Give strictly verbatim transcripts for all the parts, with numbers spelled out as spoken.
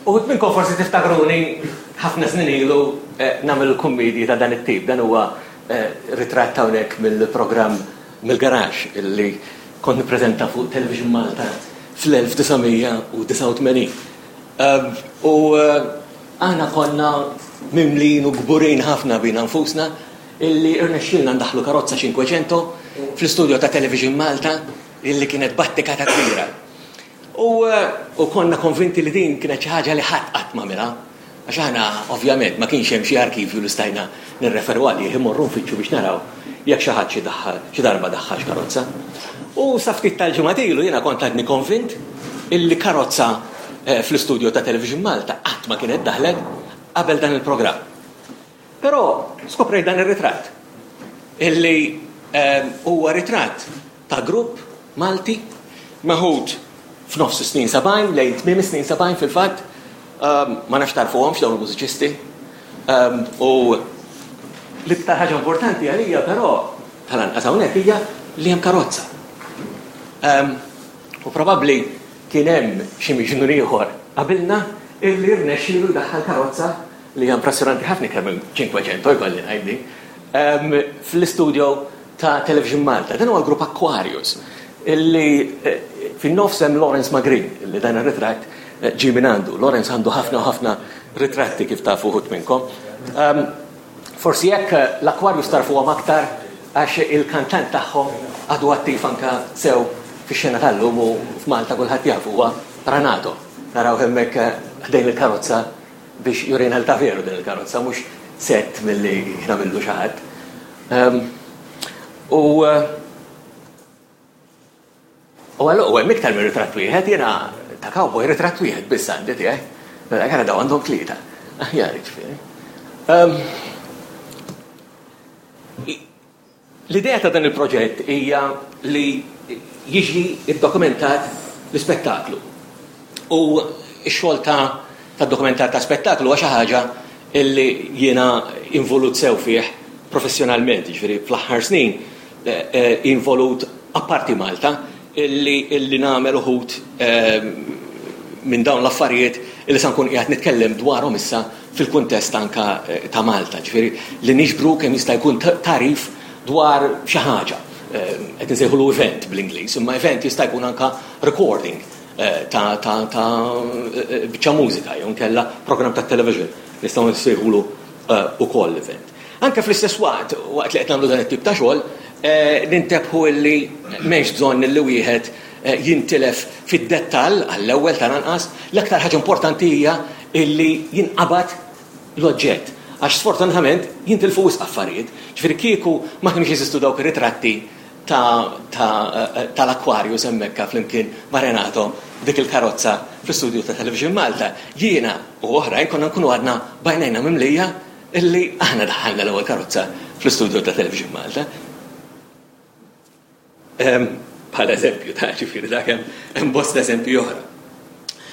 Uħud minnkom forsi tiftakruni ħafna snin ilu eh, nagħmel kummedji ta' dan it-tip. Dan huwa eh, ritratt hawnhekk mill-programm Mill-Garaxx illi kont nippreżenta fuq Television Malta fl-elf disa' mija u disgħa u tmenin. Ehm, u, eh, aħna konna mimlin u kburin ħafna bina nfusna illi irnexxilna ndaħlu karozza Cinquecento fl-istudio ta' Television Malta illi kienet battikata kbira. U, eh, u konna konvinti li din kienet xi ħaġa li ħadd qatt m'għamilha. Għax aħna ovvjament ma kienx hemm xi arkivju li stajna nirreferu għalih, immorru nfittxu biex naraw jekk xi ħadd xi daħħal, xi darba daħħal karozza. U sa ftit tal-ġimgħat ilu jiena kont għadni konvint illi karozza, eh, fl-istudio ta' Television Malta qatt ma kienet daħlet qabel dan il-programm. Però skoprejt dan ir-ritratt illi, eh, huwa ritratt ta' grupp Malti meħud f'nofs is-snin sebgħin, lejn tmiem is-snin sebgħin fil-fatt. Ehm, ma nafx tarfuhomx dawn il-mużiċisti. Ehm, u l-iktar ħaġa importanti għalija però tal-anqas hawnhekk hija li hemm karozza. Ehm, u probabbli kien hemm xi miġnun ieħor qabilna illi rnexxielu jdaħħal karozza li hija impressjonanti ħafna kemm hemm Cinquecento jkolli ngħidli, ehm, fl-istudio ta' Television Malta. Dan huwa l-grupp Aquarius illi, eh, fin-nofs hemm Lawrence Magrin, illi dan ir-ritratt, eh, ġie minn għandu. Lawrence għandu ħafna u ħafna ritratti kif tafu uħud minnkom. Ehm, forsi jekk, eh, l-Aquarius tarfuhom aktar għax il-kantant tagħhom għadu attiv anka sew fix-xena tal-lum u f'Malta kulħadd jaf huwa Renato. Naraw hemmhekk, eh, ħdejn il-karozza biex jurina l veru din il-karozza, mhux set milli nagħmillu xi ħadd. Ehm, u, eh, u għallu, u hemm iktar minn ritratt wieħed, jiena ta' cowboy ritratt wieħed biss għandi tiegħi. Mela kara daw għandhom tlieta. Aħjar jiġifieri. Ehm, l-idea ta' dan il-proġett hija li jiġi iddokumentat l-ispettaklu. U x-xogħol ta', ta' dokumentar ta' spettaklu huwa xi ħaġa illi jiena involut sew fih professjonalment, jiġifieri fl-aħħar snin, eh, eh, involut apparti Malta illi, illi nagħmel uħud, eh, minn dawn l-affarijiet illi sa nkun qiegħed nitkellem dwarhom issa fil-kuntest anka, eh, ta' Malta, ġifieri li niġbru kemm jista' jkun ta-, tarif dwar xi ħaġa. Eh, qed insejħulu event bl-Ingliż, imma event jista' jkun anka recording, eh, ta', ta', ta', eh, biċċa mużika jew nkella programm ta' television nistgħu nsejħulu, eh, ukoll event. Anke fl-istess waqt, waqt li qed nagħmlu dan it-tip ta' xogħol, eh, nintebħu illi m'hemmx bżonn illi wieħed, eh, jintilef fid-dettall għall-ewwel tal-anqas, l-aktar ħaġa importanti hija illi jinqabad l-oġġett. Għax sfortunatament jintilfu wisq affarijiet. Ġifieri kieku ma kienux jeżistu dawk ir-ritratti ta', ta', eh, tal-Aquarius hemmhekk flimkien ma' Renato dik il-karozza fl-istudju ta' Television Malta, jiena u oħrajn konna nkunu għadna bajnejna mimlija illi aħna daħħalna l-ewwel karozza fl-istudju ta' Television Malta. Ehm, bħala eżempju, ta' ġifieri dak hemm, hemm bosta eżempji oħra.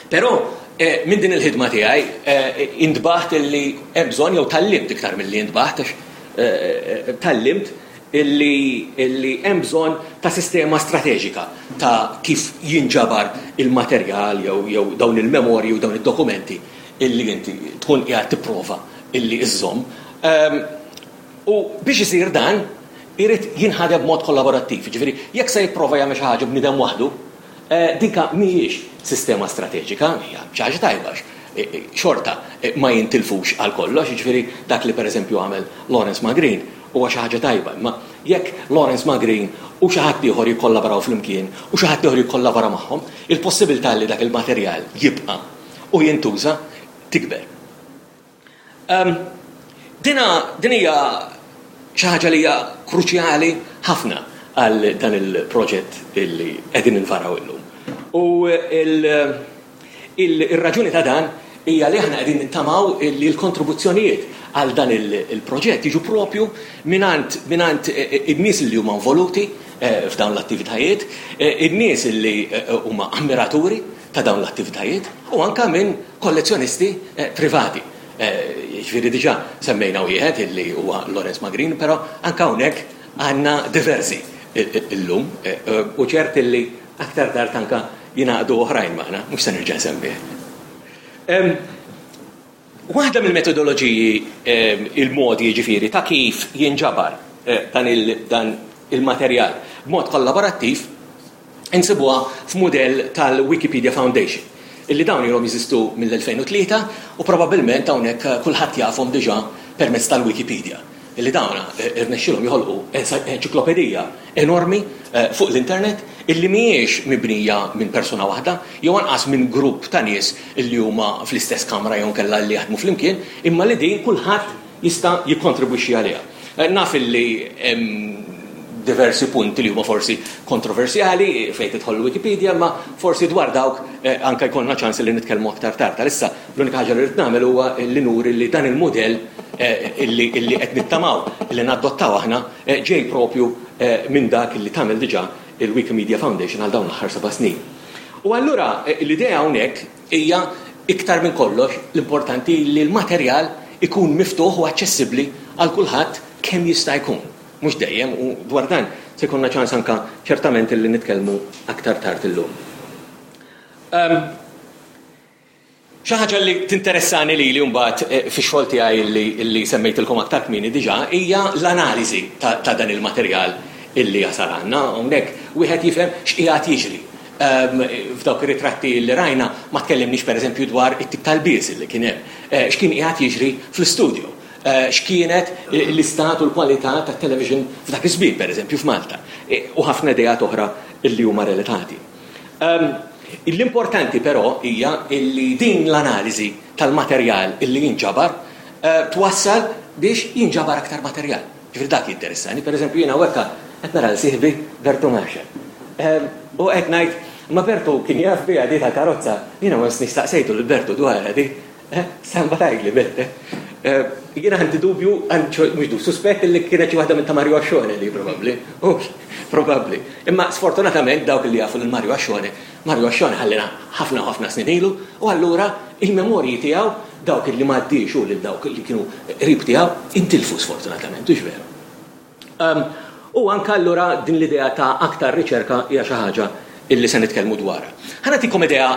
Però, eh, minn din il-ħidma tiegħi, eh, intbaħt illi hemm bżonn jew tallimt iktar milli intbaħt, għax, eh, eh, tallimt illi, illi hemm bżonn ta' sistema strateġika ta' kif jinġabar il-materjal jew, jew dawn il-memorji u dawn id-dokumenti illi inti tkun qiegħed tipprova illi iżżomm. Ehm, u biex isir dan irid jinħadem b'mod kollaborattiv. Ġifieri, jekk se jipprova jagħmel xi ħaġa bniedem waħdu, eh, dinka mhijiex sistema strateġika, hija xi ħaġa tajba għax, eh, eh, xorta, eh, ma jintilfux għal kollox, jiġifieri dak li pereżempju għamel Lawrence Magrin huwa xi ħaġa tajba, imma jekk Lawrence Magrin u xi ħadd ieħor jikkollaboraw flimkien u xi ħadd ieħor jikkollabora magħhom, il-possibilità li dak il-materjal jibqa' u jintuża tikber. Ehm, dina, din hija xi ħaġa li hija kruċjali ħafna għal dan il-proġett illi qegħdin nfaraw illum. U il, il, ir-raġuni ta' dan hija li aħna qegħdin nittamaw li l-kontribuzzjonijiet għal dan il-, il-proġett jiġu propju minant, minant, eh, eh, in-nies li huma involuti, eh, f'dawn l-attivitajiet, eh, in-nies li, eh, huma ammiraturi ta' dawn l-attivitajiet u anka minn kollezzjonisti, eh, privati. Eh, jiġifieri diġà semmejna wieħed illi huwa Lawrence Magrin, però anka hawnhekk għandna diversi illum, eh, eh, u ċert illi aktar tard anka jingħaqdu oħrajn magħna, mhux se nerġa' nsemmih. Waħda mill-metodoloġiji, il-modi ġifieri ta' kif jinġabar dan il-materjal b'mod kollaborattiv, insibuha f'mudell tal-Wikipedia Foundation, illi dawn ilhom jeżistu mill-elfejn u tlieta u probabbilment hawnhekk kulħadd jafhom diġà permezz tal-Wikipedia, illi dawn irnexxielhom joħolqu enċiklopedija enormi fuq l-internet illi mhijiex mibnija minn persuna waħda jew anqas minn grupp ta' nies illi huma fl-istess kamra jew kellha li jaħdmu flimkien, imma li din kulħadd jista' jikkontribwixxi għaliha. Naf illi diversi punti li huma forsi kontroversjali fejn tidħol Wikipedia, ma forsi dwar dawk anke jkollna ċans li nitkellmu aktar tard. Issa l-unika ħaġa li rrid nagħmel huwa li nuri li dan il-mudell illi qed nittamaw li nadottaw aħna ġej propju minn dak li tagħmel diġà il-Wikimedia Foundation għal dawn l-aħħar seba' snin. U allura l-idea hawnhekk hija iktar minn kollox l-importanti li l-materjal ikun miftuħ u aċċessibbli għal kulħadd kemm jista' jkun. Mhux dejjem, u dwar dan se jkollna ċans anka ċertament li nitkellmu aktar tard illum. Xi ħaġa li tinteressani lili mbagħad fix-xogħol tiegħi li semmejtilkom aktar kmieni diġà hija l-analiżi ta' dan il-materjal illi jasal għandna. Hawnhekk wieħed jifhem x'qiegħed jiġri. F'dawk ir-ritratti li rajna ma tkellimniex pereżempju dwar it-tip tal-bies li kien hemm, x'kien qiegħed jiġri fl-istudio, x'kienet l-istat u l-kwalità tat-television f'dak iż-żmien pereżempju f'Malta, u ħafna ideat oħra illi huma relatati. L-importanti però hija illi din l-analiżi tal-materjal illi jinġabar twassal biex jinġabar aktar materjal. Ġifieri dak jinteressani, pereżempju jiena hawnhekk qed nara l sieħbi Bertu Marshall. U qed ngħid, ma Bertu kien jaf biha di tal-karozza, jiena ma nistaqsejtu lil Bertu dwar di. Samba tgħidli Bert. Jiena għandi dubju, mhux dubju, suspett li kienet xi waħda minn ta' Mario Ascione li probabbli. Probabbli. Imma sfortunatament dawk li jafu lil Mario Ascione, Mario Ascione ħallina ħafna u ħafna snin ilu, u allura il-memorji tiegħu dawk li m'għaddiex u lil dawk li kienu qrib tiegħu intilfu sfortunatament, hux veru. U anka allura din l-idea ta' aktar riċerka hija xi ħaġa illi se nitkellmu dwarha. Ħa nagħtikom idea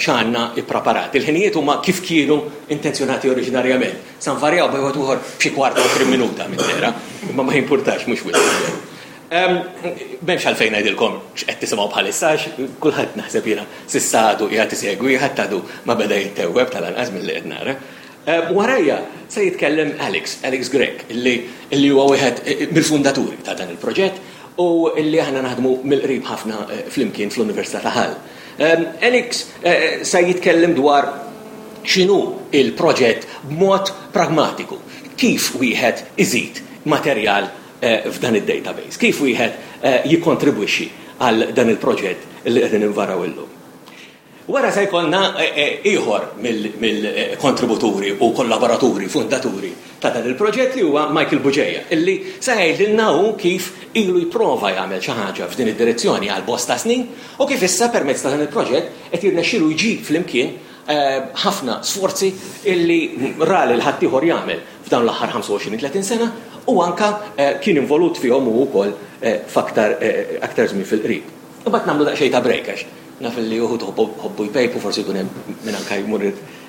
x'għandna ippreparat. Il-ħinijiet huma kif kienu intenzjonati oriġinarjament. Sa nvarjaw bejn wieħed ieħor b'xi kwart u għoxrin minuta minn dera, imma ma jimpurtax mhux wisq. M'hemmx għalfejn ngħidilkom x'qed tisimgħu bħalissa għax kulħadd naħseb jiena s'issa għadu qiegħed isegwi, ħadd għadu ma beda jittewweb tal-anqas milli qed nara. Warajja se jitkellem Alex, Alex Grech, illi huwa wieħed mill-fundaturi ta' dan il-proġett u illi aħna naħdmu mill-qrib ħafna flimkien fl-Università ta' Hull. Alex se jitkellem dwar x'inhu il-proġett b'mod pragmatiku, kif wieħed iżid materjal f'dan id-database, kif wieħed jikkontribwixxi għal dan il-proġett li qegħdin invaraw illum. Wara se jkollna ieħor mill-kontributuri u kollaboraturi, fundaturi ta' dan il-proġett li huwa Michael Bugeja, illi se jgħidilna hu kif ilu jipprova jagħmel xi ħaġa f'din id-direzzjoni għal bosta snin u kif issa permezz ta' dan il-proġett qed jirnexxielu jġib flimkien ħafna sforzi illi ra lil ħaddieħor jagħmel f'dawn l-aħħar ħamsa u għoxrin tletin sena u anka kien involut fihom hu wkoll f'aktar aktar żmien fil-qrib. Imbagħad nagħmlu daqsxejn ta' break għax naf li uħud ħobbu jpejpu, forsi jkun hemm min anka jmur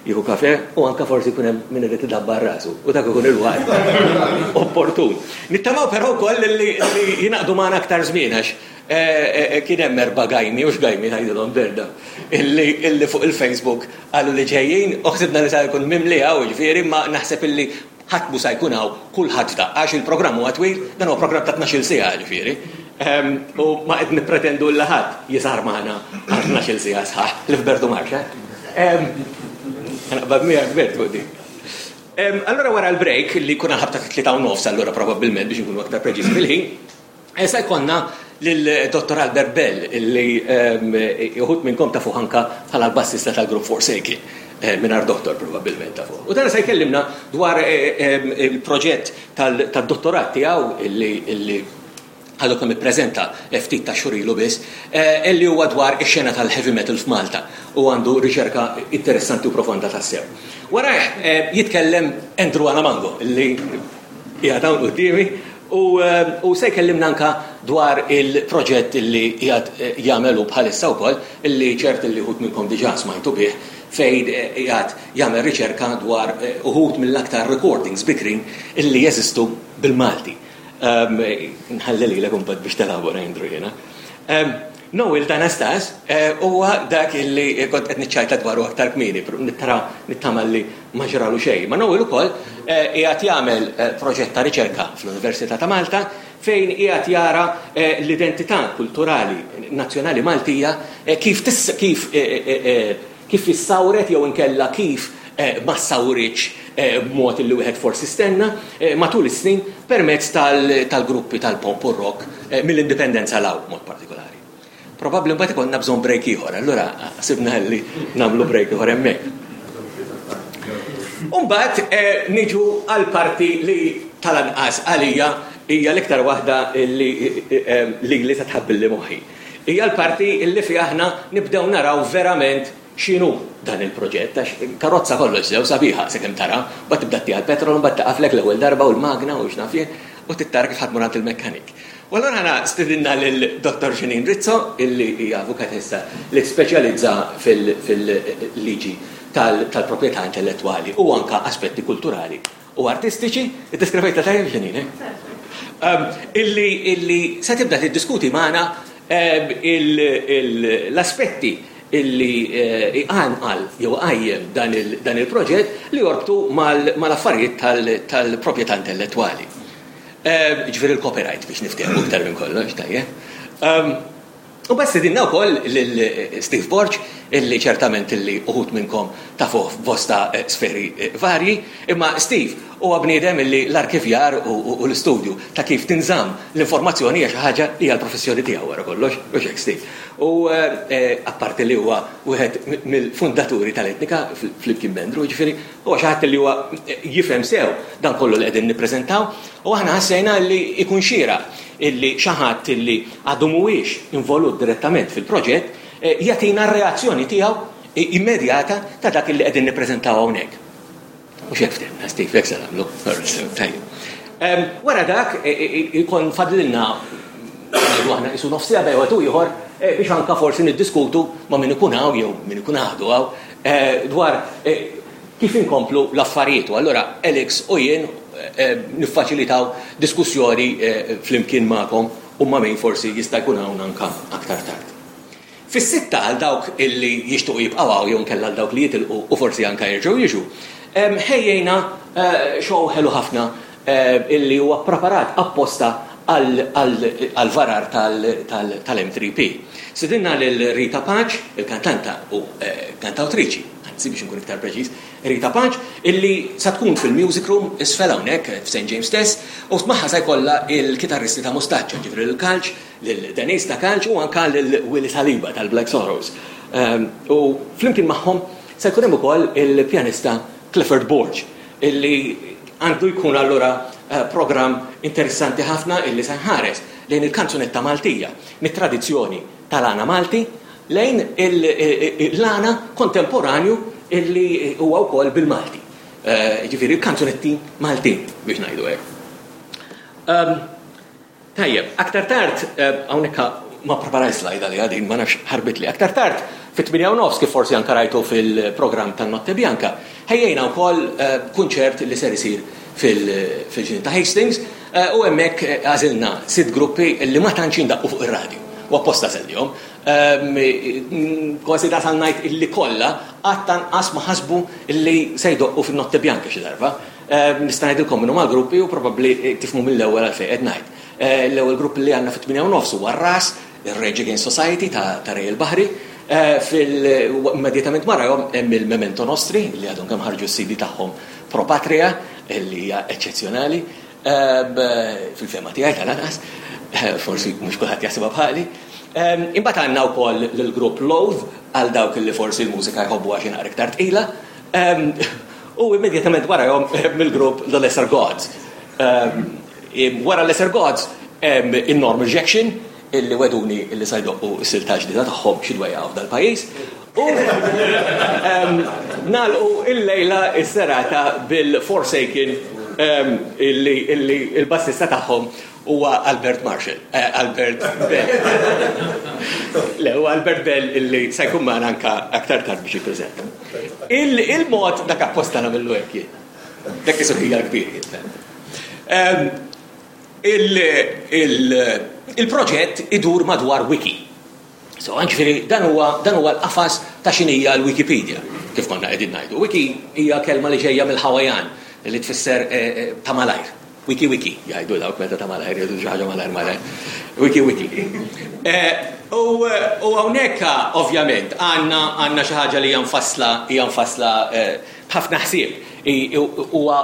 jieħu kafe u anka forsi jkun hemm min irid idabbar rasu u dak ikun il-waqt opportun. Nittamaw però wkoll li jingħaqdu magħna aktar żmien għax kien hemm erba' gajmi u x'gajmi ngħidilhom berda illi fuq il-Facebook qalu li ġejjin u ħsibna li sa jkun mimli hawn ġifieri, ma naħseb illi ħadd mhu sa jkun hawn kulħadd f'daqqa għax il-programm huwa twil, dan huwa programm ta' tnax-il siegħa ġifieri. U ma qed nippretendu li ħadd jisar magħna għal tnax-il siegħa sħaħ li f'Bertu Marxa. Naqbad miegħek Bert fuq din. Allura wara l-break li jkun ħabta tlieta u nofs allura probabbilment biex inkunu aktar preċiżi fil-ħin, se jkollna lil Dottor Albert Bell illi uħud minnkom tafu anka bħala l-bassista tal-grupp Forsaken, mingħajr doktor probabbilment tafu. U dan se jkellimna dwar il-proġett tad-dottorat tiegħu illi għadu kemm ippreżenta ftit ta' xhur ilu biss, illi huwa dwar ix-xena tal-heavy metal f'Malta u għandu riċerka interessanti u profonda tassew. Warajh jitkellem Andrew Alamango illi qiegħed hawn quddiemi u se jkellimna anka dwar il-proġett illi qiegħed jagħmelu bħalissa wkoll illi ċert illi wħud minnkom diġà smajtu bih fejn qiegħed jagħmel riċerka dwar uħud mill-aktar recordings bikrin illi jeżistu bil-Malti. Nħalli lilek imbagħad biex telabora, Andrew, jiena. Noel D'Anastas huwa dak illi kont qed niċċajta dwaru aktar kmieni, nittara nittama li ma ġralu xejn. Ma Noel ukoll qiegħed jagħmel proġett ta' riċerka fl-Università ta' Malta fejn qiegħed jara l-identità kulturali nazzjonali Maltija kif kif kif issawret jew inkella kif ma ssawritx b'mod li wieħed forsi stenna matul is-snin permezz tal-gruppi tal-pop u rock mill-indipendenza 'l hawn mod partikolari. Probabbli mbagħad ikollna bżonn break ieħor, allura sibna li nagħmlu break ieħor hemmhekk. Umbagħad niġu għal parti li tal-anqas għalija hija l-iktar waħda li li li tħabbilli moħħi. Hija l-parti li fiha aħna nibdew naraw verament x'inhu dan il-proġett, għax karozza kollox sew sabiħa sakemm tara, mbagħad tibda ttiha l-petrol, mbagħad taqaflek l-ewwel darba u l-magna u x'naf jien, u tittara kif ħadmu għand il-mekkanik. U allura aħna stidinna lil Dottor Janine Rizzo, illi hija avukatessa li speċjalizza fil-liġi tal-proprjetà intellettwali u anka aspetti kulturali u artistiċi. Iddeskrivejtha tajjeb, Janine? Illi illi se tibda tiddiskuti magħna l-aspetti illi iqanqal jew qajjem dan il-proġett li jorbtu mal-affarijiet tal-proprjetà intellettwali. Ġifieri il-copyright biex niftehmu iktar minn kollox, tajjeb. U bas stedinna wkoll lil Steve Borg, illi ċertament illi uħud minnkom tafuh f'bosta sferi varji, imma Steve huwa bniedem illi l-arkivjar u l-istudju ta' kif tinżamm l-informazzjoni hija xi ħaġa li hija l-professjoni tiegħu wara kollox, u hekk, Steve. U apparti li huwa wieħed mill-fundaturi tal-Etnika flimkien m'Andrew, ġifieri huwa xi ħadd li huwa jifhem sew dan kollu li qegħdin nippreżentaw, u aħna ħassejna li jkun xieraq illi xi ħadd illi għadu mhuwiex involut direttament fil-proġett jagħtina r-reazzjoni tiegħu immedjata ta' dak illi qegħdin nippreżentaw hawnhekk. U x'hekk ftehimna, Steve, hekk se nagħmlu. Tajjeb. Wara dak ikun fadlilna ngħidu aħna qisu nofs siegħa bejn wieħed u ieħor biex anka forsi niddiskutu ma' min ikun hawn jew min ikun għadu hawn dwar kif inkomplu l-affarijiet. U allura Alex u jien niffaċilitaw diskussjoni flimkien magħkom u ma' min forsi jista' jkun hawn anka aktar tard. Fis-sitta għal dawk illi jixtuqu jibqgħu hawn jew nkella għal dawk li jitilqu u forsi anka jerġgħu jiġu, ħejjejna show ħelu ħafna illi huwa preparat apposta għal varar tal-M three P. Stedinna lil Rita Pace, il-kantanta u kantawtriċi, anzi biex nkun iktar preċiż, Rita Pace, illi sa tkun fil-Music Room isfel hawnhekk f'Saint James stess, u magħha se jkollha il-kitarristi ta' Mustaċċa, ġifieri lil Kalċ, lil Denise ta' Kalċ u anka lil Willy Saliba tal-Black Sorrows. U flimkien magħhom se jkun hemm ukoll il-pjanista Clifford Borg, illi għandu jkun allura programm interessanti ħafna illi se nħares lejn il-kanzunetta Maltija, mit-tradizzjoni tal-għana Malti lejn l-għana kontemporanju illi huwa wkoll bil-Malti. Ġifieri il-kanzunetti Maltin biex ngħidu hekk. Tajjeb, aktar tard, hawnhekk ma preparaj slide għalija din, ma nafx ħarbitli. Aktar tard, fit-tmienja u nofs, kif forsi anka rajtu fil-programm tan-Notte Bianca, ħejjejna wkoll kunċert li ser isir fil-ġnien ta' Hastings, u hemmhekk għażilna sitt gruppi li ma tantx jindaqqu fuq ir-radju. U apposta sellihom. Kważi dasal ngħid illi kollha qatt anqas ma ħasbu illi se jdoqqu fin-Notte Bianca xi darba. Nista' ngħidilkom minnu mal-gruppi u probabbli tifhmu mill-ewwel għalfejn qed ngħid. L-ewwel grupp li għandna fit-tmienja u nofs huwa r-Ras, ir-Rage Against Society ta' Ray il-Baħri. Immedjatament warahom hemm il-Memento Nostri li għadhom kemm ħarġu s-C D tagħhom Pro Patria, li hija eċċezzjonali. Fil-fema tiegħi tal-anqas, forsi mhux kulħadd jaħsibha bħali. Imbagħad għandna wkoll lill-grupp Loathe għal dawk li forsi l-mużika jħobbu għax naqra iktar tqila. U immedjatament warahom mill-grupp The Lesser Gods. Wara Lesser Gods hemm in-Normal Rejection illi weduni illi se jdoqqu s-silta ġdida tagħhom xi dwejja f'dal-pajjiż. U nagħlqu il-lejla s-serata bil-Forsaken illi il-bassista tagħhom Huwa Albert Marshall, eh, Albert Bell. Le, huwa Albert Bell illi se jkun magħna anka aktar tard biex jippreżenta. Il-mod dak apposta nagħmillu hekk jien. Dak isu ħija kbir jien. Il-proġett idur madwar wiki. So, ġifieri, dan huwa dan huwa l-qafas ta' x'inhija l-Wikipedia, kif konna qegħdin ngħidu. Wiki hija kelma li ġejja mill-Hawaiian li tfisser eh, eh, ta' malajr. Wiki wiki, jgħidu dawk meta ta' malajr, jgħidu xi ħaġa malajr malajr. Wiki wiki. Eh, u hawnhekk ovvjament għandna għandna xi ħaġa li hija mfassla hija mfassla b'ħafna ħsieb. Huwa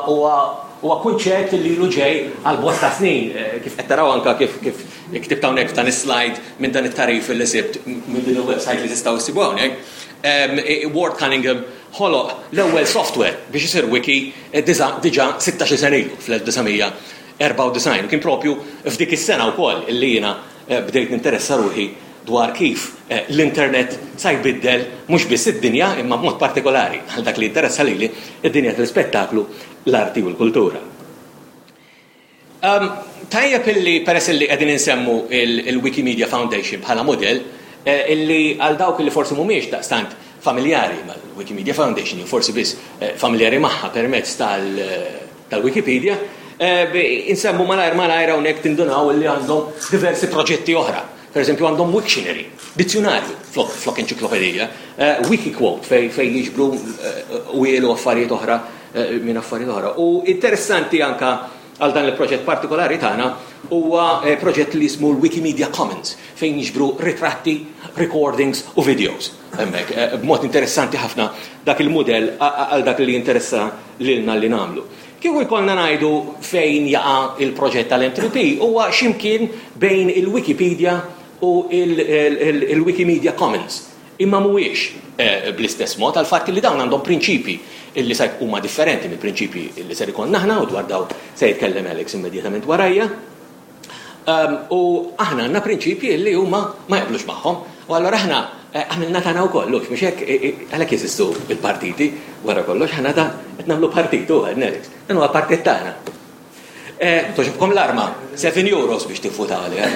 huwa kunċett li ilu ġej għal bosta snin, kif qed taraw anka kif kif ktibt hawnhekk f'dan is-slide minn dan it-tarif li sibt minn din il-website li tistgħu issibu hawnhekk. Ward Cunningham ħoloq l-ewwel software biex isir wiki diġà sittax-il sena ilu fl-elf disa' mija erbgħa u disgħin. Kien propju f'dik is-sena wkoll illi jiena bdejt ninteressa ruħi dwar kif l-internet sa jbiddel mhux biss id-dinja imma b'mod partikolari għal dak li interessa lili id-dinja tal-ispettaklu, l-arti u l-kultura. Tajjeb illi peress illi qegħdin insemmu il-Wikimedia Foundation bħala model, illi għal dawk li forsi mhumiex daqstant familjari mal-Wikimedia Foundation, jew forsi biss familjari magħha permezz tal-Wikipedia, insemmu malajr malajr hawnhekk tindunaw illi għandhom diversi proġetti oħra. Per eżempju għandhom Wiktionary, dizzjonarju flok, flok enċiklopedija, Wikiquote fej, fej jiġbru wielu affarijiet oħra minn affarijiet oħra. U interessanti anka għal dan il-proġett partikolari tagħna huwa proġett li jismu l-Wikimedia Commons fejn jiġbru ritratti, recordings u videos. Hemmhekk, b'mod interessanti ħafna dak il-mudell għal dak li jinteressa lilna li nagħmlu. Kieku jkollna ngħidu fejn jaqa' il-proġett tal-M three P huwa x'imkien bejn il-Wikipedia u il-Wikimedia Commons. Imma mhuwiex bl-istess mod għal fatt li dawn għandhom prinċipji illi se huma differenti mill-prinċipji illi ser ikollna aħna u dwar daw se jitkellem Alex immedjatament warajja. U aħna għandna prinċipji illi huma ma jaqblux magħhom u allura aħna għamilna tagħna wkoll, mhux hekk għalhekk jeżistu il-partiti wara kollox aħna ta' qed nagħmlu partit u Alex. Dan huwa partit tagħna. Toġobkom l-arma, seven euros biex tiffuta għalija.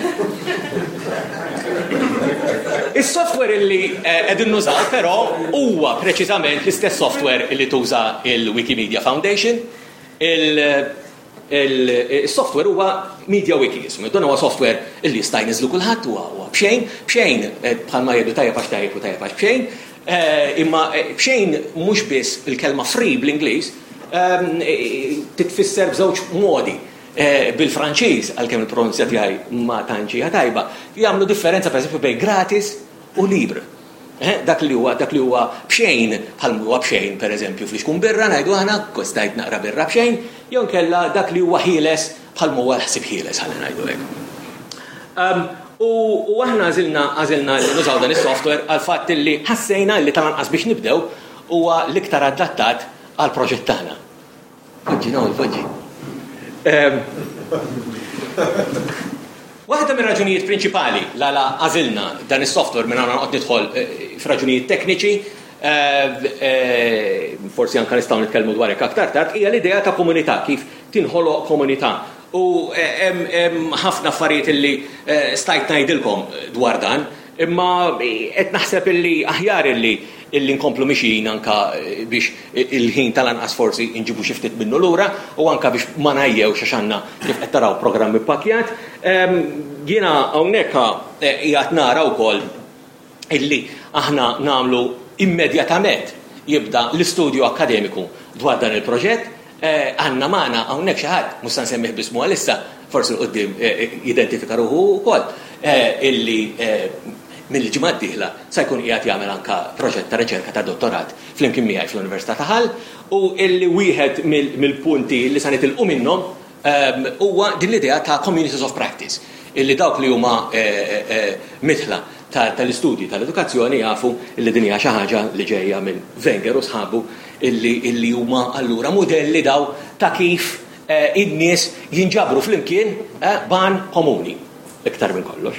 Is-software illi qegħdin nużaw però huwa preċiżament l-istess software illi tuża il-Wikimedia Foundation. Il-software huwa MediaWiki jismu. Dan huwa software illi jista' jniżlu kulħadd, huwa b'xejn, b'xejn bħalma jgħidu tajjeb għax tajjeb u tajjeb għax b'xejn. Imma b'xejn mhux biss il-kelma free bl-Ingliż titfisser b'żewġ modi. Bil-Franċiż, għalkemm il-pronunzja tiegħi ma tantx hija tajba, jagħmlu differenza pereżempju bejn gratis u libre. Dak li huwa, dak li huwa b'xejn, bħal huwa b'xejn pereżempju fl-ixkun birra ngħidu aħna kostajt naqra birra b'xejn, jew nkella dak li huwa ħieles bħal huwa l-ħsieb ħieles ħalli ngħidu hekk. U aħna għażilna, għażilna li nużaw dan is-software għal fatt li ħassejna li tal-anqas biex nibdew huwa l-iktar adattat għal proġett tagħna. Poġġi, no, poġġi. Waħda mir-raġunijiet prinċipali l-għala għażilna dan is-software minn hawn noqgħod nidħol f'raġunijiet tekniċi, forsi anke nistgħu nitkellmu dwar hekk aktar tard, hija l-idea ta' komunità, kif tinħoloq komunità. U hemm ħafna affarijiet illi stajt ngħidilkom dwar dan, imma qed naħseb illi aħjar illi illi nkomplu mixjin anka biex il-ħin tal-anqas forsi nġibu xi ftit minnu lura u anka biex ma ngħajjewx għax għandna kif qed taraw programm ippakkjat. Jiena hawnhekk qiegħed nara wkoll illi aħna nagħmlu immedjatament jibda l-istudju akkademiku dwar dan il-proġett. Għandna magħna hawnhekk xi ħadd, mhux se nsemmih b'ismu għalissa, forsi l quddiem jidentifika ruħu wkoll, illi mill-ġimgħa d-dieħla sa jkun qiegħed jagħmel anka proġett ta' riċerka ta' dottorat flimkien miegħi fl-Università ta' Hull, u illi wieħed mill-punti li sa nitilqu minnhom huwa din l-idea ta' communities of practice, illi dawk li huma mitħla tal-istudji tal-edukazzjoni jafu illi din hija xi ħaġa li ġejja minn Wenger u sħabu illi huma allura mudelli daw ta' kif in-nies jinġabru flimkien ban komuni iktar minn kollox.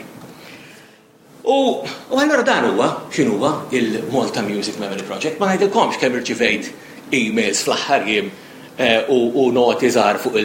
U allura dan huwa x'inhuwa il-Malta Music Memory Project. Ma ngħidilkomx kemm irċivejt emails fl-aħħar jiem u noti żgħar fuq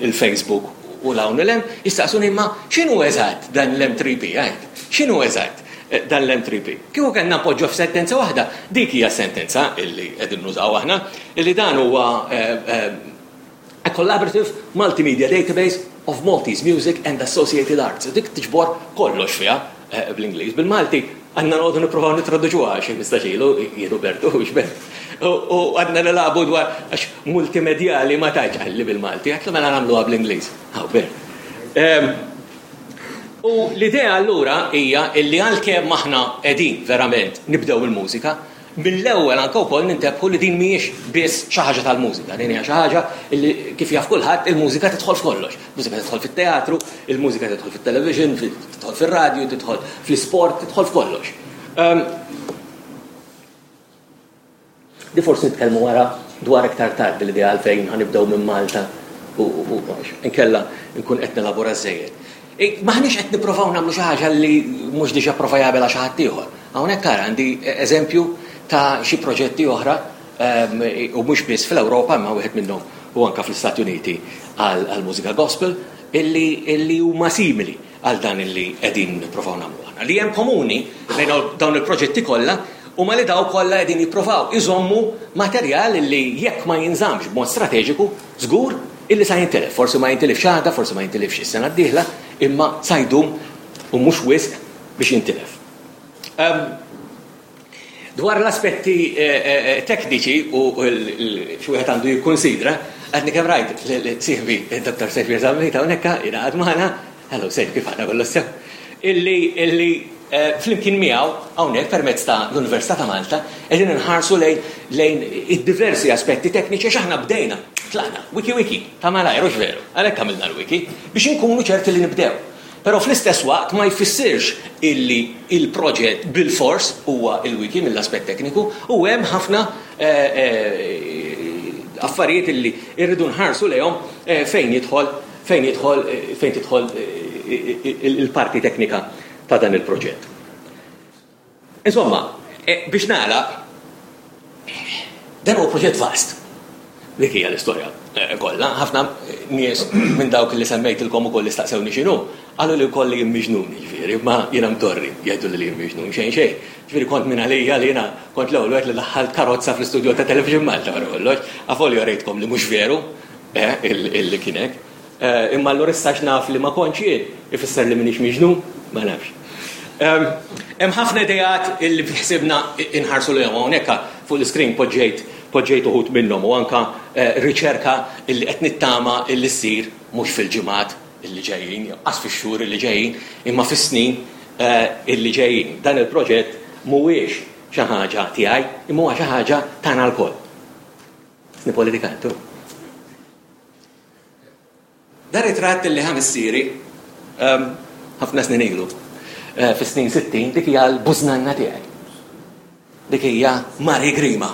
il-Facebook u l-hawn l-hemm, jistaqsuni imma x'inhu eżatt dan l-M tlieta P, għajt? X'inhu eżatt eh, dan l-M tlieta P? Kieku kellna poġġu f'sentenza waħda, dik hija sentenza illi qegħdin nużaw aħna, illi dan huwa eh, eh, a collaborative multimedia database of Maltese music and associated arts. Dik tiġbor kollox fiha bl-Ingliż. Bil-Malti għandna noqogħdu nippruvaw nitraduċuha xi mistaxilu, jien Bertu, xbert. U għadna nilagħbu dwar għax multimedjali ma tajċ għalli bil-Malti, għatlu mela nagħmluha bl-Ingliż. Hawn Bert. U l-idea allura hija illi għalkemm aħna qegħdin verament nibdew il-mużika, mill-ewwel anke wkoll nintebħu li din mhijiex biss xi ħaġa tal-mużika, din hija xi ħaġa li kif jaf kulħadd il-mużika tidħol f'kollox. Mużika tidħol fit-teatru, il-mużika tidħol fit-television, tidħol fir-radju, tidħol fl-isport, tidħol f'kollox. Um, di forsi nitkellmu wara dwar iktar tard l-idea għalfejn ħa nibdew minn Malta u nkella nkun qed nelabora żejjed. Maħniex qed nipprovaw nagħmlu xi ħaġa li mhux diġà prova jagħmilha xi ħadd ieħor. Hawnhekk ara għandi eżempju ta' xi proġetti oħra u mhux biss fl-Ewropa, imma wieħed minnhom u anka fl-Istati Uniti għal mużika gospel illi illi huma simili għal dan illi qegħdin nipprovaw nagħmlu aħna. Li hemm komuni bejn dawn il-proġetti kollha huma li daw kollha qegħdin jippruvaw iżommu materjal illi jekk ma jinżamx b'mod strateġiku żgur illi sa jintilef. Forsi ma jintilifx għada, forsi ma jintilifx is-sena d-dieħla, imma sa jdum u mhux wisq biex jintilef. Um, dwar l-aspetti eh, eh, tekniċi u xi wieħed għandu jikkonsidra, għadni kemm rajt sieħbi Doctor Saviour Zammit hawnhekk jingħaqad magħna, hello Sejf, kif aħna, kollu sew, illi illi eh, flimkien miegħu hawnhekk permezz ta' l-Università ta' Malta qegħdin inħarsu lejn lejn id-diversi aspetti tekniċi għax aħna bdejna, tlaqna, wiki wiki, ta' malajr, hux veru, għalhekk għamilna l-wiki biex inkunu ċerti li nibdew. Però fl-istess waqt ma jfissirx illi il-proġett bil-fors huwa il-wiki mill-aspett tekniku u hemm ħafna eh, eh, affarijiet illi irridu nħarsu lejhom eh, fejn jidħol fejn jidħol fejn tidħol il-parti teknika ta' dan il-proġett. Insomma, biex nagħlaq, dan huwa proġett vast. Dik hija l-istorja kollha. Ħafna nies minn dawk li semmejtilkom ukoll li staqsewni x'inhu, qalu li wkoll li jien miġnun, jiġifieri, ma jiena mdorri jgħidu li jien miġnun, xejn xejn. Ġifieri kont minn għalija li jiena kont l-ewwel wieħed li daħħalt karozza fl-istudju ta' Television Malta wara kollox. Avolja rejtkom li mhux veru illi kien hekk. Imma allura issa naf li ma kontx jien, ifisser li m'iniex miġnun, ma nafx. Hemm ħafna ideat illi ħsibna inħarsu lejhom, hawnhekk fuq l-iskrin poġġejt poġġejt uħud minnhom u anka riċerka illi qed nittama illi ssir mhux fil-ġimgħat illi ġejjin, qas fix-xhur illi ġejjin, imma fis-snin illi ġejjin. Dan il-proġett mhuwiex xi ħaġa tiegħi, imma huwa xi ħaġa tagħna lkoll. Sni politikantu. Dan ritratt illi ħa missieri ħafna snin ilu, fis-snin sittin, dik hija l-bużnanna tiegħi. Dik hija Mari Grima.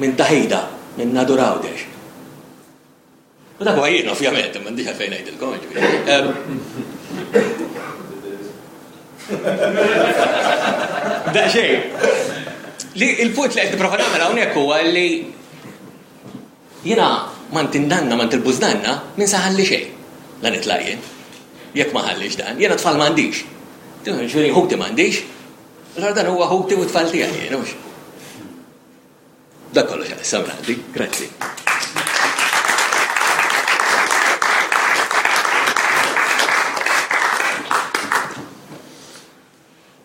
Minn Taħida, minn Nadur Għawdex. U dak huwa jien, ovvjament, m'għandix għalfejn ngħidilkom, ġifieri. Daqsxejn. Li il-punt li qed nipprova nagħmel hawnhekk huwa li jiena m'għand indanna, m'għand il-bużnanna, min sa ħalli xejn. La nitlaq jien. Jekk ma ħallix dan, jiena tfal m'għandix. Ġifieri ħuti m'għandix. Allora dan huwa ħuti u tfal tiegħi jien, hux. Dak kollox għalissa minn għandi. Grazzi.